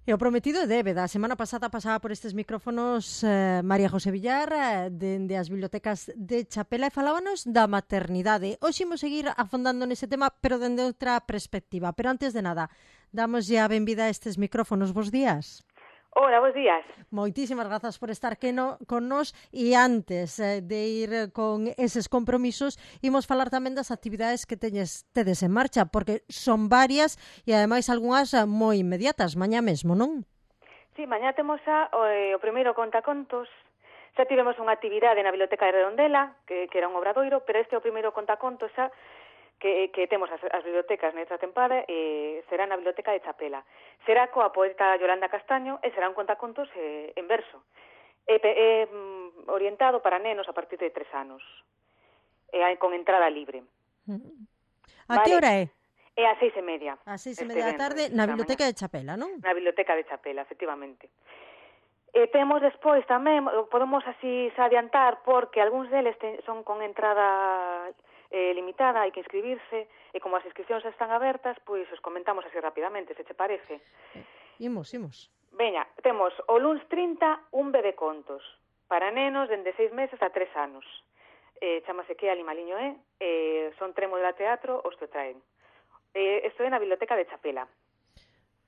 E o prometido é débeda. A semana pasada pasaba por estes micrófonos María José Villar, dende as bibliotecas de Chapela, e falábanos da maternidade. Hoxe imos seguir afondando nese tema, pero dende outra perspectiva. Pero antes de nada, damos a benvida a estes micrófonos. Bos días. Hola, bos días. Moitísimas grazas por estar con nós, e antes de ir con eses compromisos, imos falar tamén das actividades que tedes en marcha, porque son varias e ademais algunhas moi inmediatas, mañá mesmo, non? Sí, mañá temos o primeiro contacontos. Xa tivemos unha actividade na Biblioteca de Redondela, que era un obradoiro, pero este é o primeiro contacontos xa que temos as bibliotecas nesta tempada, será na Biblioteca de Chapela. Será coa poeta Yolanda Castaño e será un contacontos en verso. É orientado para nenos a partir de 3 anos, con entrada libre. A que hora é? É ás 6:30. Ás 6:30 da tarde na Biblioteca de Chapela, non? Na Biblioteca de Chapela, efectivamente. Temos despois tamén, podemos así adiantar, porque algúns deles son con entrada limitada, hai que inscribirse, e como as inscripcións están abertas, pois os comentamos así rapidamente, se che parece. Imos. Veña, temos o luns 30 un bebé contos, para nenos dende 6 meses a 3 anos. Chámase Que Animaliño son Tremo de Teatro, os que traen. Isto é na Biblioteca de Chapela.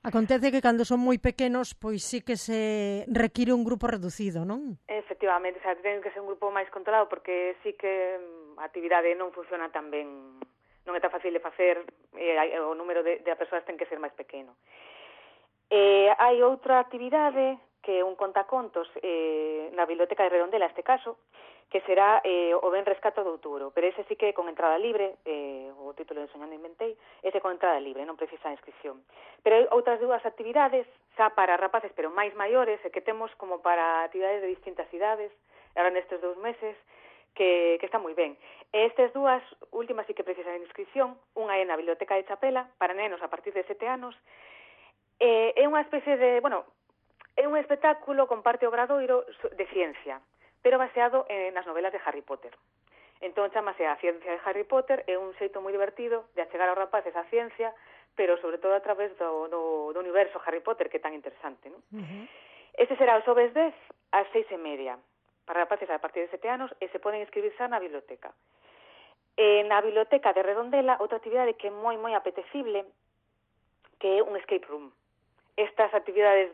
Acontece que cando son moi pequenos, pois sí que se require un grupo reducido, non? Efectivamente, ten que ser un grupo máis controlado, porque sí que a actividade non funciona tan ben, non é tan fácil de facer, o número de persoas ten que ser máis pequeno. Hai outra actividade que é un contacontos na Biblioteca de Redondela, este caso, que será o Venres 4 de outubro, pero ese sí que con entrada libre, o título de Soñando Inventei, ese con entrada libre, non precisa inscripción. Pero hai outras dúas actividades, xa para rapaces, pero máis maiores, e que temos como para actividades de distintas idades, agora nestes 2 meses, que está moi ben. Estas dúas últimas sí que precisan inscripción, unha é na Biblioteca de Chapela, para nenos a partir de 7 anos, é unha especie de, é un espectáculo con parte obradoiro de ciencia, pero baseado nas novelas de Harry Potter. Entón, chamase A Ciencia de Harry Potter, é un xeito moi divertido de achegar aos rapaces a ciencia, pero sobre todo a través do universo Harry Potter, que é tan interesante, non? Este será o xoves 10 ás 6:30, para rapaces a partir de 7 anos, e se poden inscribir xa na biblioteca. Na Biblioteca de Redondela, outra actividade que é moi apetecible, que é un escape room. Estas actividades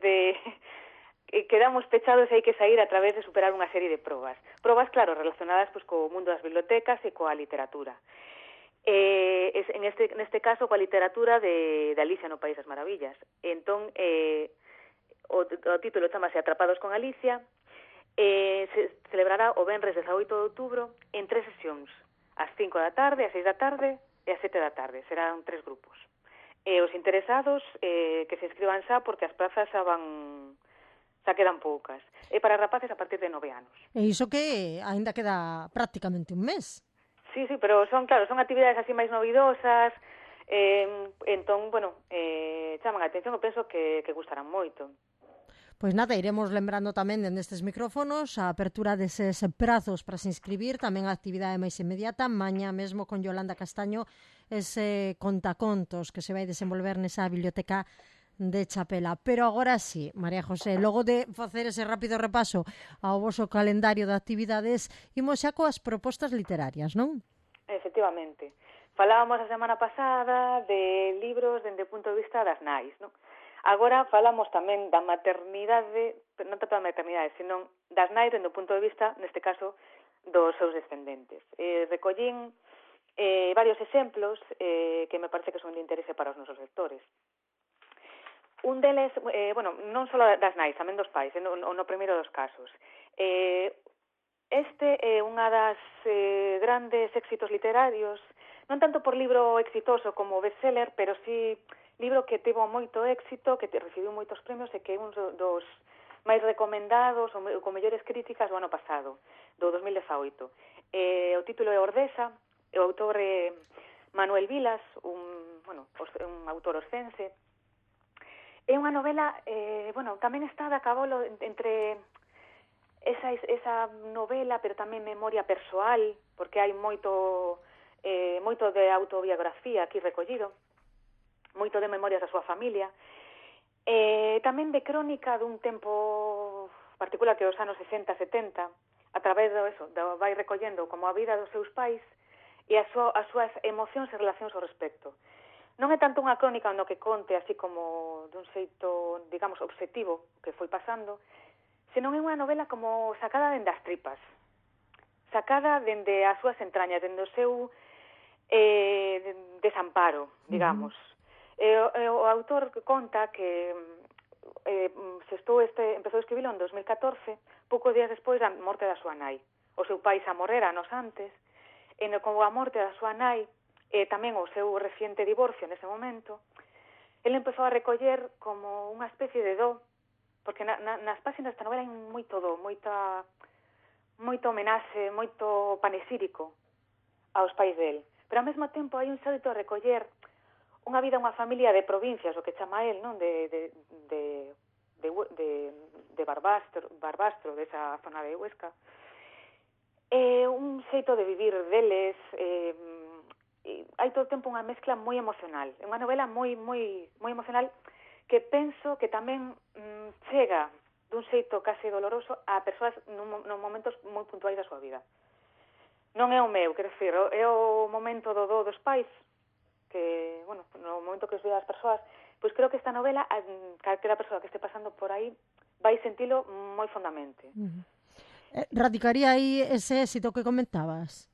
quedamos pechados e hai que sair a través de superar unha serie de probas. Probas, claro, relacionadas pois co mundo das bibliotecas e coa literatura. Neste caso, coa literatura de Alicia no País das Maravillas. Entón, o título chamase Atrapados con Alicia, se celebrará o venres 18 de outubro en 3 sesións, ás 5 da tarde, ás 6 da tarde e ás 7 da tarde. Serán 3 grupos. Os interesados que se inscriban xa, porque as plazas xa quedan poucas. É para rapaces a partir de 9 anos. E iso que ainda queda prácticamente un mes. Sí, pero son actividades así máis novidosas, entón, chaman a atención, eu penso que gustarán moito. Pois nada, iremos lembrando tamén nestes micrófonos a apertura deses prazos para se inscribir, tamén a actividade máis inmediata, mañá mesmo con Yolanda Castaño, ese contacontos que se vai desenvolver nesa biblioteca de Chapela. Pero agora sí, María José, logo de facer ese rápido repaso ao voso calendario de actividades, imos xa coas propostas literarias, non? Efectivamente. Falábamos a semana pasada de libros dende o punto de vista das nais, non? Agora falamos tamén da maternidade, non tanto da maternidade, senón das nais dende o punto de vista, neste caso, dos seus descendentes. Recollín varios exemplos que me parece que son de interese para os nosos lectores. Un deles, non só das nais, tamén dos pais, no primeiro dos casos. Este é unha das grandes éxitos literarios, non tanto por libro exitoso como bestseller, pero sí libro que tivo moito éxito, que recibiu moitos premios e que é un dos máis recomendados ou con mellores críticas do ano pasado, do 2018. O título é Ordesa, o autor é Manuel Vilas, un autor oscense. É unha novela, tamén está de cabolo entre esa novela, pero tamén memoria persoal, porque hai moito de autobiografía aquí recollido, moito de memorias da súa familia, Tamén de crónica dun tempo particular que os anos 60-70, a través vai recollendo como a vida dos seus pais e as súas emocións e relacións ao respecto. Non é tanto unha crónica no que conte así como dun xeito, digamos, obxectivo que foi pasando, senón é unha novela como sacada dende as tripas, sacada dende as súas entrañas, dende o seu desamparo, digamos. O autor conta que empezou a escribilo en 2014, poucos días despois da morte da súa nai. O seu pai xa morrera anos antes, e con a morte da súa nai, e tamén o seu reciente divorcio nese momento, ele empezou a recoller como unha especie de do, porque nas páxinas desta novela hai moito do, moito homenaxe, moito panesírico aos pais del. Pero ao mesmo tempo hai un xeito de recoller unha vida, unha familia de provincias, o que chama el, non? De Barbastro, desa zona de Huesca. Un xeito de vivir deles, hai todo o tempo unha mezcla moi emocional. É unha novela moi emocional que penso que tamén chega dun xeito case doloroso a persoas nos momentos moi puntuais da súa vida. Non é o meu, quero dicir, é o momento do dos pais, que, bueno, no momento que os vean as persoas, pois creo que esta novela, calquera persoa que este pasando por aí, vai sentilo moi fondamente. Radicaría aí ese éxito que comentabas?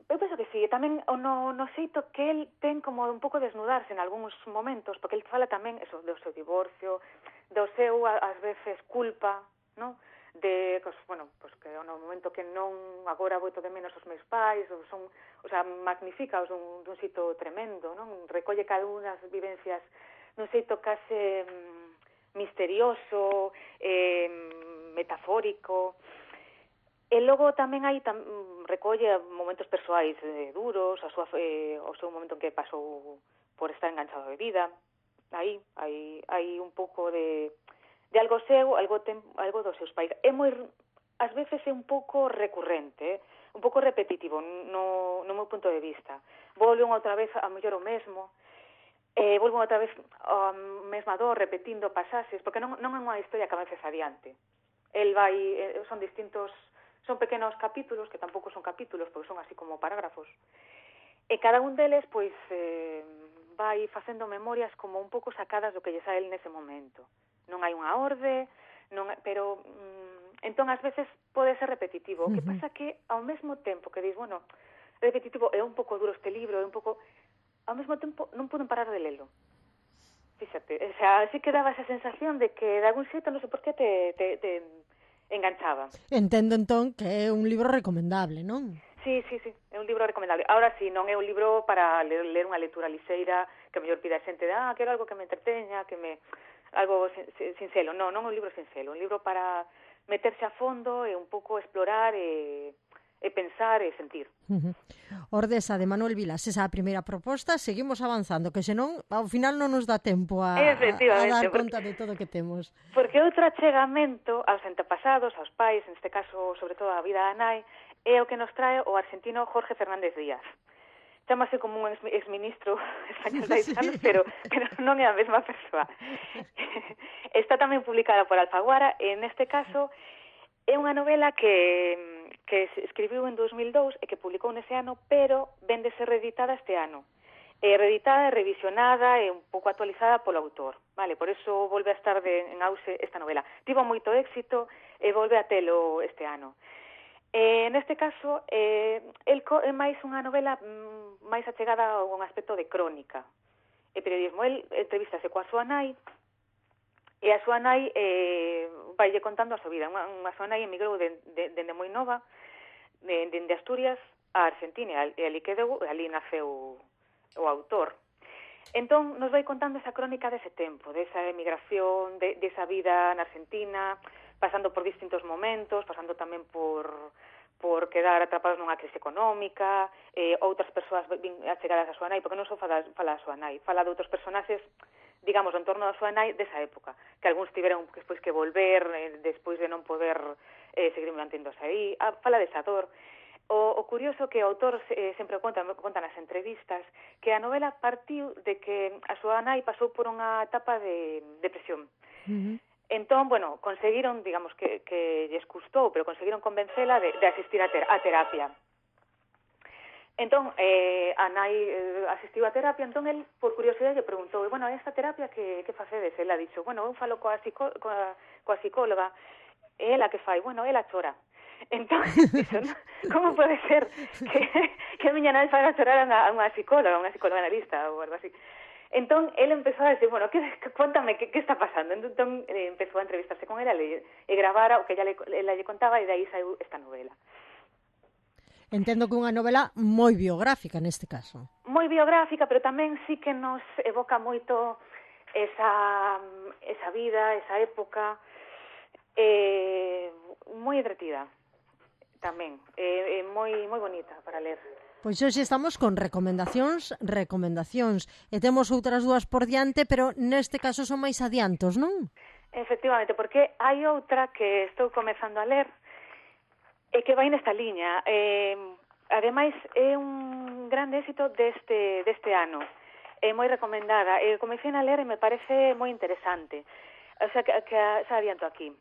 Eu penso que sí, tamén no xeito que el ten como un pouco desnudarse en algúns momentos, porque el fala tamén eso, do seu divorcio, do seu, ás veces, culpa, non? De, bueno, pues que no momento que non agora boito de menos os meus pais, son, o sea, magnifica dun xeito tremendo, non? Recolle cada unha das vivencias dun xeito case misterioso, metafórico. E logo tamén recolle momentos persoais duros, o seu momento en que pasou por estar enganchado a bebida. Aí hai un pouco de algo seu, algo dos seus pais. É moi, ás veces é un pouco recurrente, un pouco repetitivo no meu punto de vista. Volven outra vez a mellor o mesmo, volven outra vez a mesma dor, repetindo pasaxes, porque non é unha historia que avances adiante. El vai, son pequenos capítulos, que tampouco son capítulos, porque son así como parágrafos. E cada un deles, pois, vai facendo memorias como un pouco sacadas do que lle sae el nese momento. Non hai unha orde, pero entón ás veces pode ser repetitivo. O que pasa que ao mesmo tempo que dis, bueno, repetitivo, é un pouco duro este libro, é un pouco, ao mesmo tempo non poden parar de lelo. Fíxate, o sea, así que daba esa sensación de que de algún xeito, non sei por qué, te enganchaba. Entendo entón que é un libro recomendable, non? Sí, é un libro recomendable. Ahora sí, non é un libro para ler unha lectura lixeira, que mellor pida a xente de, quero algo que me entreteña, algo sinxelo. Non é un libro sinxelo, un libro para meterse a fondo e un pouco explorar e pensar e sentir. Ordesa, de Manuel Vilas, esa a primeira proposta, seguimos avanzando, que senón ao final non nos dá tempo a dar conta de todo o que temos. Porque outro achegamento aos antepasados, aos pais, en este caso, sobre todo a vida da nai, é o que nos trae o argentino Jorge Fernández Díaz. Chámase como un exministro español de anos, pero non é a mesma persoa. Está tamén publicada por Alfaguara, e neste caso é unha novela que se escribiu en 2002 e que publicou nese ano, pero vén de ser reeditada este ano. Reeditada, revisionada e un pouco actualizada polo autor. Vale, por eso volve a estar en auxe esta novela. Tivo moito éxito e volve a telo este ano. Neste caso, é máis unha novela máis achegada a un aspecto de crónica e periodismo. El entrevistase coa súa nai, e a súa nai vaille contando a súa vida. Unha súa nai emigrou dende moi nova, dende Asturias a Argentina, e ali naceu o autor. Entón, nos vai contando esa crónica dese tempo, desa emigración, desa vida na Argentina, pasando por distintos momentos, pasando tamén por quedar atrapados nunha crise económica, outras persoas achegadas a súa nai, porque non só fala da súa nai, fala de outros personaxes, digamos, en torno da súa nai desa época, que algúns tiveron despois que volver, despois de non poder seguir manténdose aí, fala desa dor. O curioso que o autor sempre conta nas entrevistas que a novela partiu de que a súa nai pasou por unha etapa de depresión. Entón, bueno, conseguiron, digamos que lles custou, pero conseguiron convencela de asistir a terapia. Entón, a nai asistiu a terapia, entón el, por curiosidade, lle preguntou, bueno, esta terapia que facedes? Ela dixo, bueno, eu falo coa psicóloga, e ela que fai? Bueno, ela chora. Entón, dixo, como pode ser que a miña nai faga chorar a unha psicóloga analista ou algo así? Entón, ele empezou a decir, bueno, cuéntame, que está pasando? Entón, empezou a entrevistarse con ela e gravara o que ela lle contaba, e de aí saiu esta novela. Entendo que unha novela moi biográfica neste caso. Moi biográfica, pero tamén sí que nos evoca moito esa vida, esa época, moi entretida tamén, moi bonita para ler. Pois hoxe estamos con recomendacións, e temos outras dúas por diante, pero neste caso son máis adiantos, non? Efectivamente, porque hai outra que estou comezando a ler, e que vai nesta liña. Ademais, é un grande éxito deste ano. É moi recomendada. Comecei a ler e me parece moi interesante. O sea, que xa adianto aquí.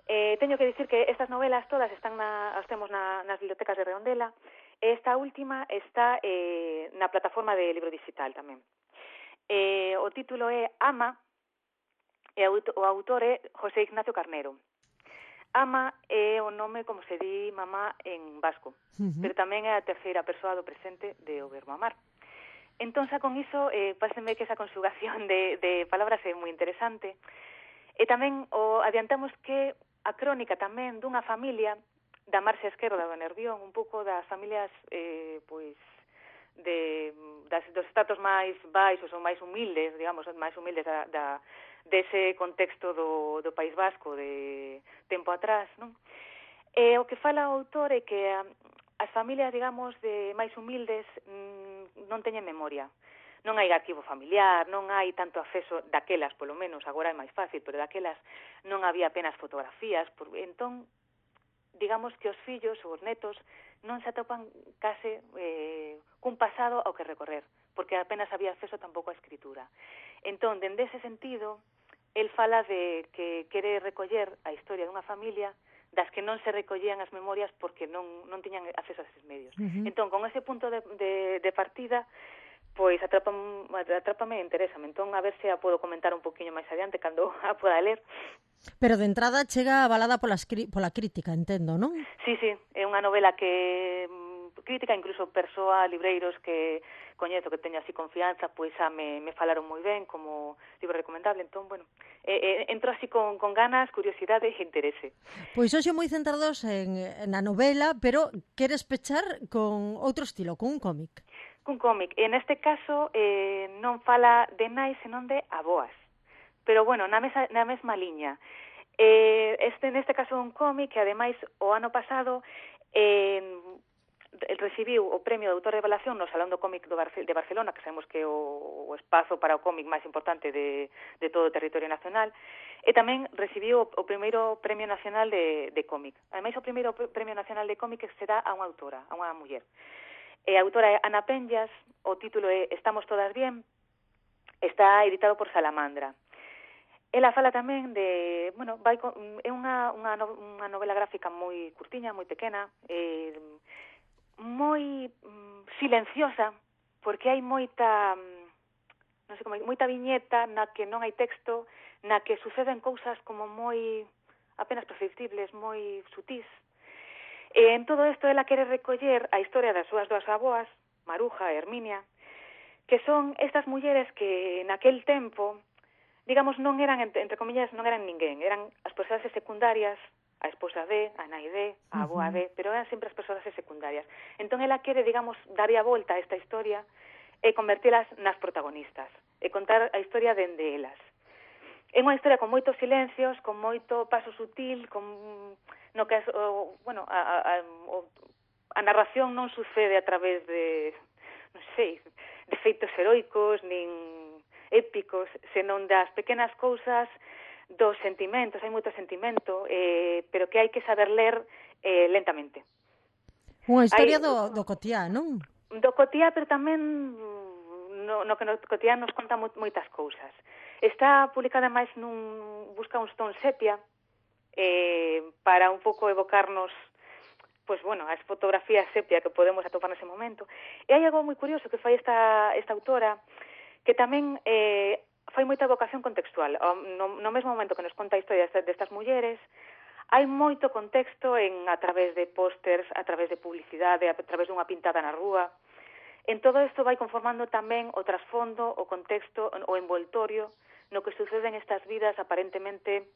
Teño que dicir que estas novelas todas as temos nas bibliotecas de Redondela. Esta última está na plataforma de libro digital tamén. O título é Ama, e o autor é José Ignacio Carnero. Ama é o nome como se di mamá en vasco, pero tamén é a terceira persoa do presente de o verbo amar. Entón, xa con iso, pásenme que esa conjugación de palabras é moi interesante. E tamén adiantamos que a crónica tamén dunha familia da marxa esquerda do Nervión, un pouco das familias pois dos estratos máis baixos ou máis humildes, digamos, máis humildes dese contexto do País Vasco de tempo atrás, non? E o que fala o autor é que as familias, digamos, máis humildes non teñen memoria. Non hai arquivo familiar, non hai tanto acceso daquelas, polo menos, agora é máis fácil, pero daquelas non había apenas fotografías. Entón, digamos que os fillos ou os netos non se atopan case cun pasado ao que recorrer, porque apenas había acceso tampouco á escritura. Entón, dende ese sentido, el fala de que quere recoller a historia dunha familia das que non se recollían as memorias porque non tiñan acceso a eses medios. Entón, con ese punto de partida, pois atrápame e interésame. Entón, a ver se a podo comentar un poquinho máis adiante cando a poda ler. Pero de entrada chega avalada pola crítica, entendo, non? Sí, é unha novela que crítica, incluso persoa, libreiros que coñezo, que teño así confianza, pois xa me falaron moi ben como libro recomendable. Entón, bueno, entro así con ganas, curiosidade e interese. Pois hoxe moi centrados na novela, pero queres pechar con outro estilo, con un cómic. Cun cómic. En este caso non fala de nais, senón de aboas. Pero, bueno, na mesma liña. Neste caso un cómic que, ademais, o ano pasado recibiu o premio de autor de revelación no Salón do Cómic de Barcelona, que sabemos que é o espazo para o cómic máis importante de todo o territorio nacional, e tamén recibiu o primeiro premio nacional de cómic. Ademais, o primeiro premio nacional de cómic se dá a unha autora, a unha muller. A autora é Ana Penllas, o título é Estamos todas bien, está editado por Salamandra. Ela fala tamén de, bueno, é unha novela gráfica moi curtiña, moi pequena, moi silenciosa, porque hai moita viñeta na que non hai texto, na que suceden cousas como moi apenas perceptibles, moi sutís. En todo isto, ela quere recoller a historia das súas dúas aboas, Maruja e Herminia, que son estas mulleres que naquel tempo, digamos, non eran, entre comillas, non eran ninguén, eran as persoas secundarias, a esposa de, a nai de, a aboa de, pero eran sempre as persoas secundarias. Entón, ela quere, digamos, darlle a volta a esta historia e convertilas nas protagonistas, e contar a historia dende elas. É unha historia con moitos silencios, con moito paso sutil, no que a narración non sucede a través de, non sei, de feitos heroicos, nin épicos, senón das pequenas cousas, dos sentimentos. Hai moito sentimento, pero que hai que saber ler lentamente. Unha historia do cotiá, non? Do cotiá, pero tamén no que no cotiá nos conta moitas cousas. Está publicada máis busca uns tons sepia, para un pouco evocarnos pois, bueno, as fotografías sepia que podemos atopar nese momento. E hai algo moi curioso que fai esta autora, que tamén fai moita evocación contextual. No mesmo momento que nos conta a historia destas mulleres, hai moito contexto a través de pósters, a través de publicidade, a través dunha pintada na rúa. En todo isto vai conformando tamén o trasfondo, o contexto, o envoltorio no que suceden estas vidas aparentemente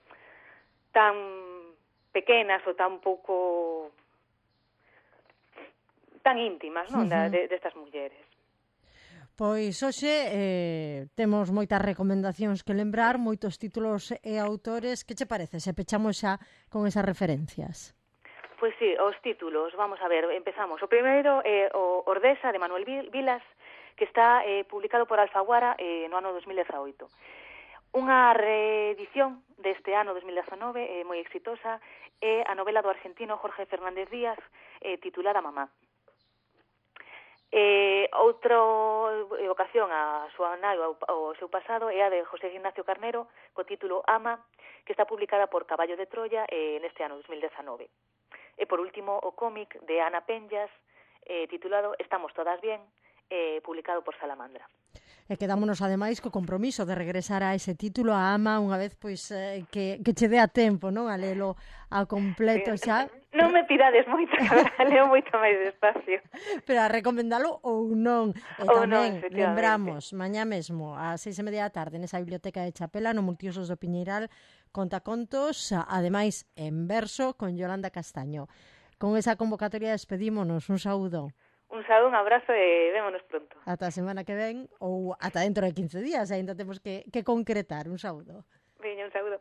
tan pequenas ou tan pouco tan íntimas, non, destas mulleres. Pois hoxe temos moitas recomendacións que lembrar, moitos títulos e autores. Que che parece se pechamos xa con esas referencias? Pois sí, os títulos, vamos a ver, empezamos. O primeiro é o Ordesa, de Manuel Vilas, que está publicado por Alfaguara no ano 2018. Unha reedición deste ano 2019 moi exitosa é a novela do argentino Jorge Fernández Díaz, titulada Mamá. Outra evocación á súa nai ao seu pasado é a de José Ignacio Carnero, co título Ama, que está publicada por Caballo de Troya neste ano 2019. E por último, o cómic de Ana Penllas, titulado Estamos todas bien, publicado por Salamandra. E quedámonos ademais co compromiso de regresar a ese título, a Ama, unha vez pois que che dé a tempo, non, a lelo ao completo xa. Non me pidades moito, leo moito máis despacio. Pero a recomendalo ou non. E ou tamén non, lembramos, mañá mesmo, ás 6:30 da tarde, nesa biblioteca de Chapela, no Multiusos do Piñeiral, contacontos, ademais en verso, con Yolanda Castaño. Con esa convocatoria despedímonos. Un saúdo. Un saúdo, un abrazo e vémonos pronto. Ata a semana que ven ou ata dentro de 15 días, ainda temos que concretar. Un saúdo. Veña, un saúdo.